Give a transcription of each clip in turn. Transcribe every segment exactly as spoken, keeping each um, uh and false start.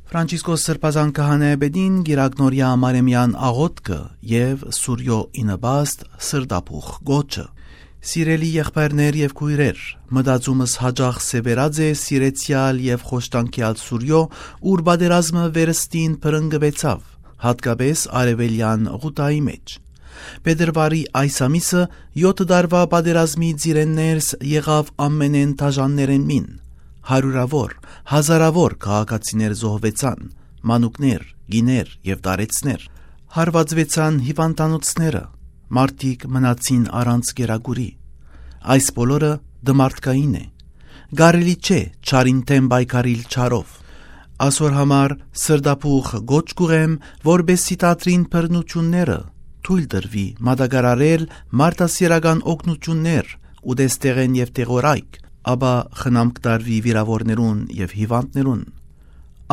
Ֆրանցիսկոս Սրբազան քահանայապետին գիրագնորյա Մարեմեան աղօթքը եւ Սուրիոյ ի նպաստ սրտաբուխ կոչը։ Սիրելի եղբայրներ եւ քոյրեր, մտածումս յաճախ սեւեռած է սիրեցեալ եւ խոշտանգեալ Սուրիոյ, ուր պատերազմը վերստին բռնկուեցաւ, յատկապէս արեւելեան Ղուտայի մէջ։ Փետրուարի այս ամիսը եօթ տարուայ պատերազմի ծիրէն ներս եղաւ ամենէն դաժաններէն մին։ Հարիւրաւոր, հազարաւոր քաղաքացիներ զոհուեցան, մանուկներ, կիներ եւ տարեցներ։ Հարուածուեցան հիւանդանոցները, մարդիկ մնացին առանց կերակուրի։ Այս բոլորը դմարտկային է։ Կարելի չէ չարին դէմ պայքարիլ չարով։ Ասոր համար սրտաբուխ կոչ կուղեմ, որպէսզի դադրին բռնութիւնները, թոյլ տրուի մատակարարել մարդասիրական օգնութիւններ, ուտեստեղէն եւ դեղորայք, ապա խնամք տարուի վիրաւորներուն եւ հիւանդներուն։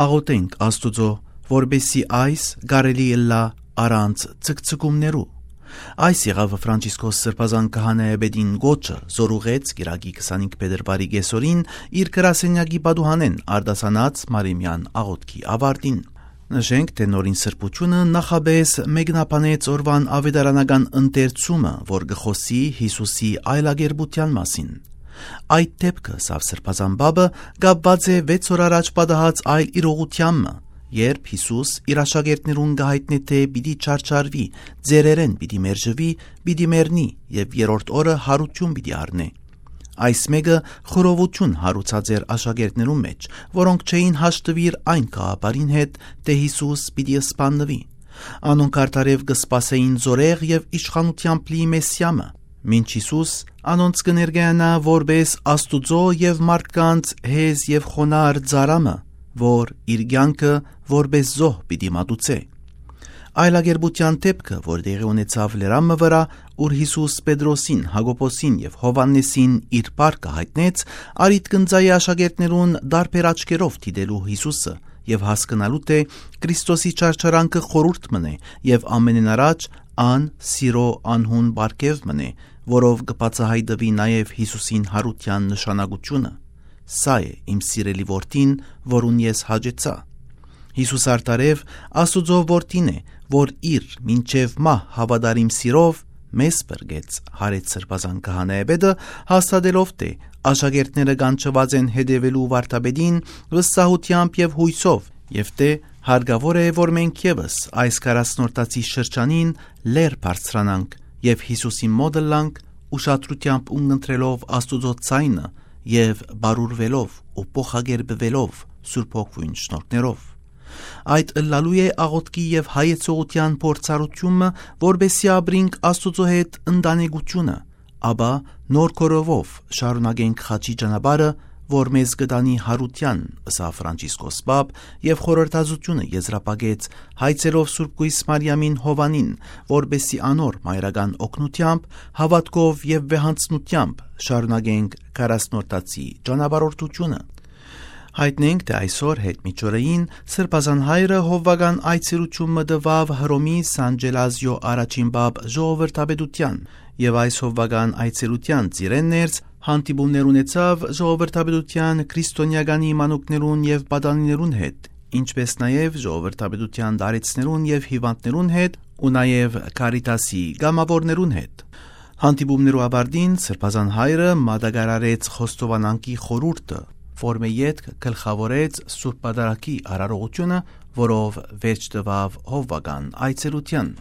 Աղօթենք Աստուծոյ, որպէսզի այս կարելի ըլլայ առանց ցկցկումներու։ Այս եղաւ Ֆրանցիսկոս Սրբազան քահանայապետին կոչը, զոր ուղղեց կիրակի քսանհինգ փետրուարի կէսօրին իր գրասենյակի պատուհանէն արտասանած Մարեմեան աղօթքի աւարտին։ Նշենք, թէ Նորին Սրբութիւնը նախապէս մեկնաբանեց օրուան աւետարանական ընթերցումը, որ կը խօսի Յիսուսի այլակերպութեան մասին։ Այդ դէպքը, սա Սրբազան Պապը, կապուած է վեց օր առաջ պատահած այլ իրողութեան մը, երբ Յիսուս իր աշակերտներուն կը յայտնէ, թէ պիտի չարչարուի, ծերերէն պիտի մերժուի, պիտի մեռնի եւ երրորդ օրը յարութիւն պիտի առնէ։ Այս մէկը խռովութիւն յարուցած էր աշակերտներուն մէջ, որոնք չէին հաշտուիր այն գաղափարին հետ, թէ Յիսուս պիտի սպաննուի։ Անոնք արդարեւ կը սպասէին զօրեղ եւ իշխանութեամբ լի Մեսիա մը, մինչ Յիսուս անոնց կը ներկայանայ որպէս Աստուծոյ եւ մարդկանց հեզ եւ խոնարհ ծառայ մը, որ իր կեանքը որպէս զոհ պիտի մատուցէ։ Այլակերպութեան դէպքը, որ տեղի ունեցաւ լերան մը վրայ, ուր Յիսուս Պետրոսին, Յակոբոսին եւ Յովհաննէսին իր պարկը յայտնեց, առիթ կ'ընծայէ աշակերտներուն տարբեր աչքերով դիտելու Յիսուսը եւ հասկնալու, թէ Քրիստոսի չարչարանքը խորհուրդ մըն է եւ ամենէն առաջ ան սիրոյ անհուն պարգեւ մըն է, որով կը բացայայտուի նաեւ Յիսուսին յարութեան նշանակութիւնը։ «Սա է իմ սիրելի որդին, որուն ես հաճեցայ»։ Յիսուս արդարեւ Աստուծոյ որդին է, որ իր մինչեւ մահ հաւատարիմ սիրով մեզ փրկեց, յարեց Սրբազան քահանայապետը, հաստատելով, թէ աշակերտները կանչուած են հետեւելու վարդապետին վստահութեամբ եւ յոյսով, եւ թէ հարկաւոր է, որ մենք եւս այս քառասնորդացի շրջանին լեռ բարձրանանք եւ Յիսուսին մօտ ըլլանք, ուշադրութեամբ ունկնդրելով Աստուծոյ ձայնը եւ բարուրուելով ու փոխակերպուելով Սուրբ Հոգիին շնորհներով։ Այդ ըլլալու է աղօթքի եւ հայեցողութեան փորձառութիւնը, որպէսզի ապրինք Աստուծոյ հետ ընտանեկութիւնը, ապա նոր կորովով շարունակենք խաչի ճանապարհը, որ մեզ կը տանի յարութեան, ըսաւ Ֆրանցիսկոս Պապ եւ խորհրդածութիւնը եզրափակեց հայցելով Սուրբ Կոյս Մարիամին Յովհաննին, որպէսզի անոր մայրական օգնութեամբ, հաւատքով եւ վեհանձնութեամբ շարունակենք քառասնորդացի ճանապարհորդութիւնը։ Յայտնենք, թէ այսօր, յետ միջօրեին, Սրբազան Հայրը հովուական այցելութիւն մը տուաւ Հռոմի Սան Ճելազիոյ առաջին պապ ժողովրդապետութեան, եւ այս հովուական այցելութեան ծիրէն ներս հանդիպումներ ունեցաւ ժողովրդապետութեան քրիստոնեականի մանուկներուն եւ պատանիներուն հետ, ինչպէս նաեւ ժողովրդապետութեան տարեցներուն եւ հիւանդներուն հետ ու նաեւ Քարիտասի կամաւորներուն հետ։ Հանդիպումներու աւարտին Սրբազան Հայրը մատակարարեց խոստովանանքի խորհուրդը, որ մը ետք գլխաւորեց Սուրբ Պատարագի արարողութիւնը, որով վերջ տուաւ հովուական այցելութեան։